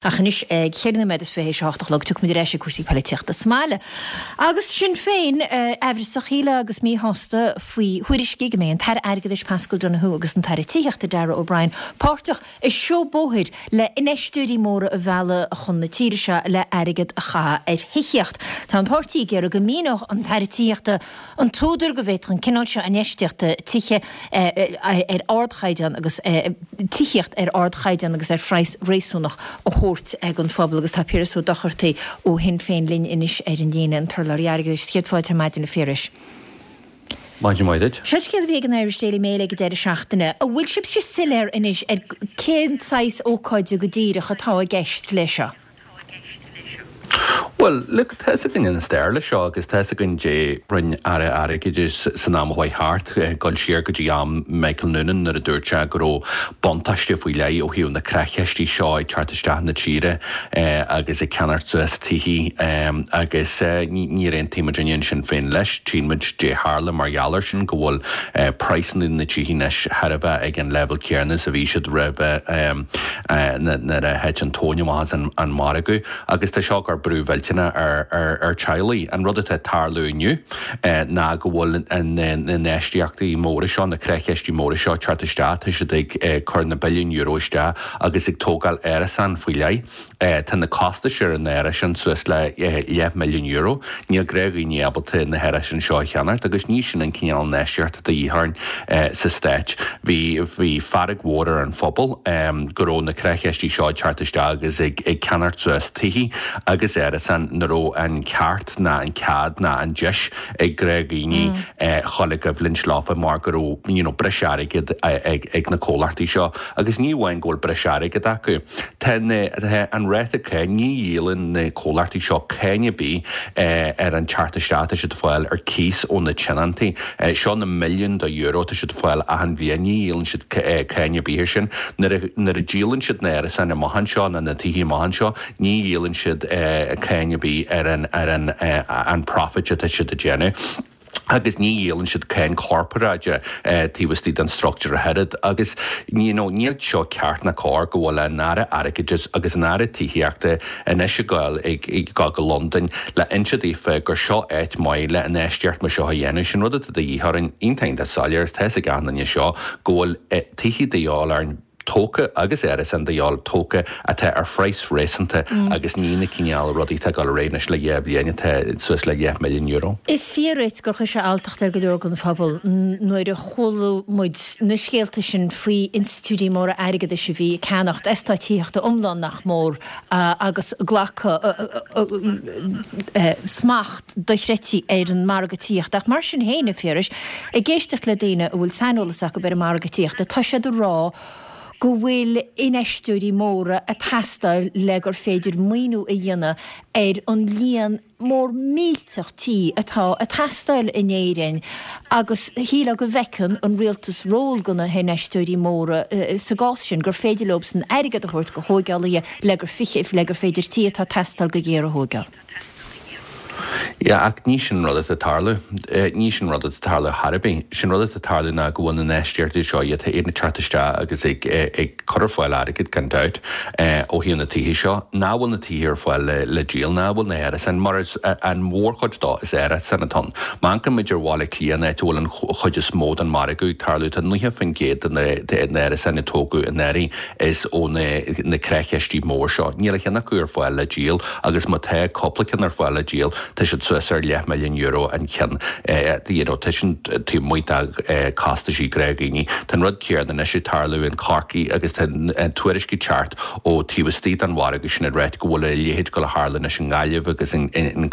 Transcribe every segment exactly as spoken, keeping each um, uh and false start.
Ach anois ag ceithre nóiméad is fiche théis a hocht a chlog tiocfaimid ar ais ag cúrsaí polaitíochta sa mbaile. Agus Sinn Féin aimhreasach shílfeá agus míshásta faoi thuairiscí go mbeidh an tAire Airgeadais Paschal Donohoe agus an tAire Tithíochta Darragh O'Brien páirteach i seó bóthair le infheisteoirí móra a mhealladh chun na tíre seo le airgead a chaitheamh ar thithíocht. Tá an páirtí ag iarraidh go míneodh an tAire Tithíochta an t-údar go bhféadfadh an cineál seo infheistíochta tithe ar ardchaighdeán agus tithíocht ar ardchaighdeán agus ar phraghas réasúnach a thabhairt ag an phobal agus tá Piaras Ó Dochartaigh ó Shinn Féin linn anois ar an líne, an t-urlabhraí airgeadais. Céad fáilte ar maidin, a Phiarais. Maidin mhaith duit. Seo scéal a bhí ag an Irish Daily Mail ag an deireadh seachtaine. An bhfuil sibhse soiléir anois ar cén saghas ócáide go díreach atá i gceist leis seo? Bhuel, look, tá fhios againn an stair le seo agus tá fhios againn dé rinne Aire Airgeadais san am a chuaigh thart, dul siar go dtí am Michael Noonan nuair a dúirt sé go raibh buntáiste faoi leith ó thaobh na creachistí seo ag teacht isteach na tíre agus ag ceannacht suas tithí agus níor aontaigh muidinne in Sinn Féin leis. Tchíonn muid dé tharla mar gheall air sin go bhfuil praghsanna na tithí anois thar a bheith ag an leibhéal céanna is a bhí siad roimhe nuair a thit an tóin amach as an margadh agus tá seo ag cur brú mhillteanach ar ar teaghlaigh. An rud atá ag tarlú inniu ná go bhfuil na infheistíochtaí móra seo, na creachistí móra seo ag teacht isteach, tá siad ag cur na billiúin euro isteach agus ag tógáil árasán faoi leith. Tá na costais ar an árasán suas le leath milliún euro. Níl gnáthdhaoine ábalta na hárasáin seo a cheannacht agus ní sin an cineál infheistíochta atá de dhíth orainn sa Stát. Bhí bhí fearg mhór ar an phobal go raibh na creachistí seo ag teacht isteach agus ag ag ceannacht suas tithí agus árasáin nach raibh an ceart ná an cead ná an deis ag gnáthdhaoine chul i gcoimhlint leofa mar go raibh you know, breis airgid ag, ag na comhlachtaí seo agus ní amháin go bhfuil breis airgid acu. Tá an ráta cáin ní dhíolann na comhlachtaí seo cáin ar bith ar an teacht isteach tá siad fáil ar cíos ó na tionóntaí. Seo na milliúin de euro tá siad fáil achan bhliain ní dhíolann siad cáin ar bith ar sin. Nuair a díolann siad na árasáin amach anseo ná na tithí amach anseo ní dhíolann siad cáin ar bith ar an ar an an profit atá siad a déanamh. agus ní dhíolann siad cáin corparáide taobh istigh den struchtúr a oiread agus you know, níl seo ceart ná cóir go bhfuil an Aire Airgeadais agus an Aire Tithíochta anois ag gabháil ag ag gabháil go Londain le inse daofa gur seo áit maith le infheistíocht mar seo a dhéanamh sin rud atá de dhíth orainn iontach iontach soiléir is tá fhios ag achan duine seo go bhfuil tithí de dhíobháil orainn tógtha agus árasáin de dhíobháil tógtha atá ar phraghas réasúnta agus ní na cineál rudaí atá ag dul ar aghaidh anois le dhá bhliain atá suas le deich milliún euro. Is fíor duit gur chuir sé alltacht ar go leor den phobal nuair a chuala muid na scéalta sin faoi institiúidí móra airgeadais a bhí ag ceannacht eastát tithíochta iomlán nach mór agus glacadh smacht dochreidte ar an margadh tithíochta. Ach mar sin féin, a Phiarais, ag éisteacht le daoine a bhfuil saineolas acu ar an margadh tithíochta, tá siad ag rá go bhfuil infheisteoirí móra ag teastáil le gur féidir maoiniú a dhéanamh ar an líon mór millteach tí atá ag teastáil in Éirinn agus shílfeá go bhfeiceann an rialtas ról do na hinfheisteoirí móra sa gcás sin, gur féidir leobsan airgead a thabhairt do thógálaithe le gur le gur féidir tí atá ag teastáil go géar a thógáil. Yeah, ach ní sin rud atá ag tarlú. Ní sin rud atá ag tarlú ar bith. Sin rud atá ag tarlú ná go bhfuil na infheistíochtaí seo iad ag teacht isteach agus ag ag cur ar fáil airgead gan dabht ó thaobh na tithe seo. Ná bhfuil na tithe ar fáil le le díol, ná bhfuil na hárasáin mar is an mhórchuid dó is árasáin atá ann. Má amharcann muid ar Bhaile Átha Cliath an áit a bhfuil an chuid is mó den margadh ag tarlú tá nócha faoin gcéad de na árasáin a tógadh anuraidh is ó na na creachistí mór seo. Níl a cheann acu ar fáil le díol agus má tá cúpla ceann ar fáil le díol tá siad suas ar leath milliún euro an ceann. You know, tá sin taobh amuigh de costaisí gnáthdhaoine. Tá an rud céanna anois ag tarlú in Corcaigh agus tá tuairiscí ag teacht ó taobh istigh den mhargadh sin ag ráit go bhfuil a leithéid ag dul a tharlú anois i nGaillimh agus in in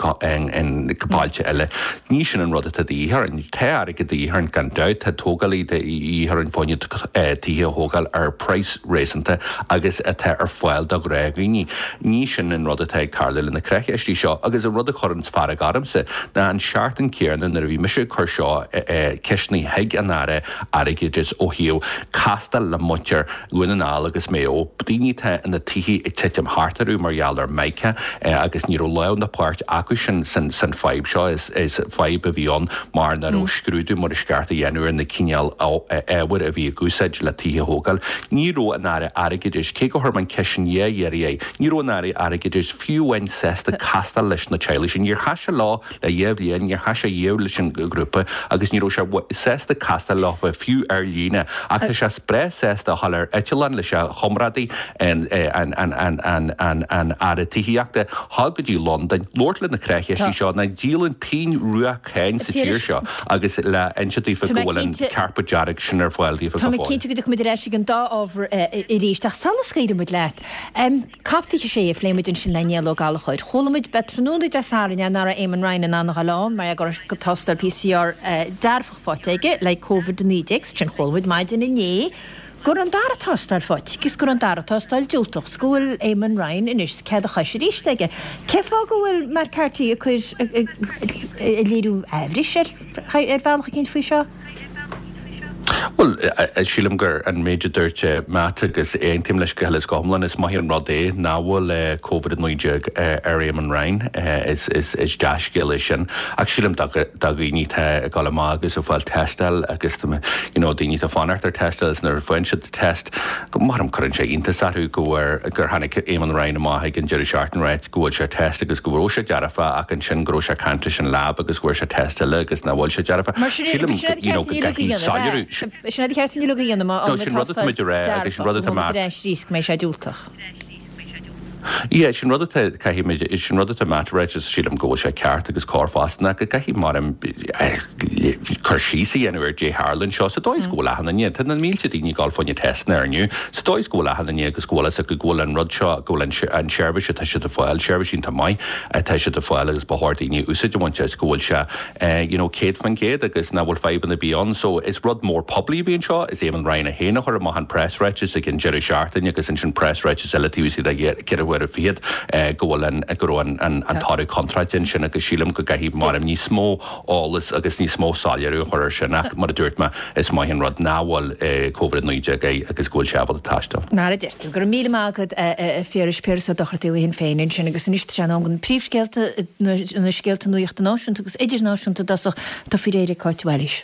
bailte eile. Ní sin an rud atá de dhíth orainn. Tá airgead de dhíth orainn gan dabht, tá tógálaí de dhíth orainn fá choinne tithe a thógáil ar praghas réasúnta agus atá ar fáil do ghnáthdhaoine. Ní sin an rud atá ag tarlú le na creachistí seo agus an rud a chuireann fearg ormsa ná an seachtain céanna nuair a bhí mise ag cur seo ceisteanna chuig an Aire Airgeadais ó thaobh castáil le muintir Dhún na nGall agus Maigh Eo, daoine atá ina tithe ag titim thart orthu mar gheall ar mica agus ní raibh lámh ná páirt acu sin san san fadhb seo. Is is fadhb a bhí ann mar nach raibh scrúdú mar is ceart a dhéanamh ar na cineál ábhair a bhí ag úsáid le tithe a thógáil. Ní raibh an Aire Airgeadais, cé go chuir mé an ceist sin dhá iarraidh air, ní raibh an Aire Airgeadais fiú amháin sásta castáil leis na teaghlaigh sin. Níor chas sé leo le dhá bhliain, níor chas sé riamh leis an ghrúpa agus ní raibh sé sásta castáil leo fiú ar líne. Ach tá sé breá sásta a dhul ar eitleán leis a chomrádaí, an an Aire Tithíochta, dhul go dtí Londain, labhairt le na creachistí seo nach ndíolann pingin rua cáin sa tír seo agus le inse daofa go bhfuil an carpet dearg sin ar fáil daofa Tá go mé fóill. cinnte go dtiocfaidh muid ar ais ag an dá ábhar arís, ach sula scaoileann muid leat, COP fiche sé a phléigh muid ansin le Niall Ó Gallchóir. Chuala muid be tráthnóna Dé Sathairn nach raibh Eamon Ryan in ann a ghabháil ann mar go raibh tástáil P C R dearfach faighte aige le Covid a naoi déag, sin chuala muid maidin inné go raibh an dara tástáil faighte agus go raibh an dara tástáil diúltach 's go bhfuil Eamon Ryan anois cead a chois arís aige. Cén fáth go bhfuil Matt Carthy ag cur ag léiriú aimhris ar ar bhealach eicínt faoi seo? Bhuel, sílim gur an méid a dúirt Matt agus aontaím leis go huile is go hiomlán, is maith an rud é nach bhfuil Covid a naoi déag ar Eamon Ryan, is is is dea-scéal é sin. Ach sílim do dhaoine atá ag dul amach agus ag fáil tástáil agus you know, daoine atá fanacht ar tástáil is nuair a faigheann siad test, go maram cuireann sé iontas orthu go bhfuair gur tháinig Eamon Ryan amach ag an deireadh seachtaine ráit go bhfuil sé test agus go raibh sé dearfa ach ansin go raibh sé ag caint leis an lab agus go bhfuair sé test eile agus nach bhfuil sé dearfa. Mar sin Sílim you know, go gcaithfidh soiléiriú Sin é ceart ní a dhéanamh No, sin rud atá muid a rá agus sin rud atá Matt arís go mbeidh sé diúltach. Yeah, sin rud atá caithfidh sin rud atá Matt ráit is sílim go bhfuil sé ceart agus cóir fosta ná go gcaithfidh mar cur síos a dhéanamh ar dé tharla seo sa dóigh go bhfuil achan duine Tá na mílte daoine ag dul fá choinne testanna inniu sa dóigh go bhfuil achan duine agus go bhfuil go bhfuil an rud seo go bhfuil an seirbhís atá siad ag fáil seirbhís iontach maith atá siad ag fáil agus ba chóir daoine úsáid a bhaint as go bhfuil sé you know, céad faoin gcéad agus nach bhfuil fadhbanna bí ann, so is rud mór poiblí a bhí anseo is Eamon Ryan a féin a chuir amach an preasráiteas ag an deireadh seachtaine agus ansin preasráiteas eile taobh istigh de ceithre huaire fichead go bhfuil an go raibh an an an toradh contráilte ansin agus sílim go gcaithfidh mar níos mó eolas agus níos mó soiléiriú a chur ar sin ach mar a dúirt mé is maith an rud nach bhfuil Covid naoi déag air agus go bhfuil sé ábalta taisteal. Mar a deir tú go raibh míle maith agat a Phiarais Piaras Ó Dochartaigh ó Shinn Féin ansin agus anois tá sé in am don príomhscéalta na scéalta nuachta náisiúnta agus idirnáisiúnta dosach tá faoi réir ag Cáit Wallis.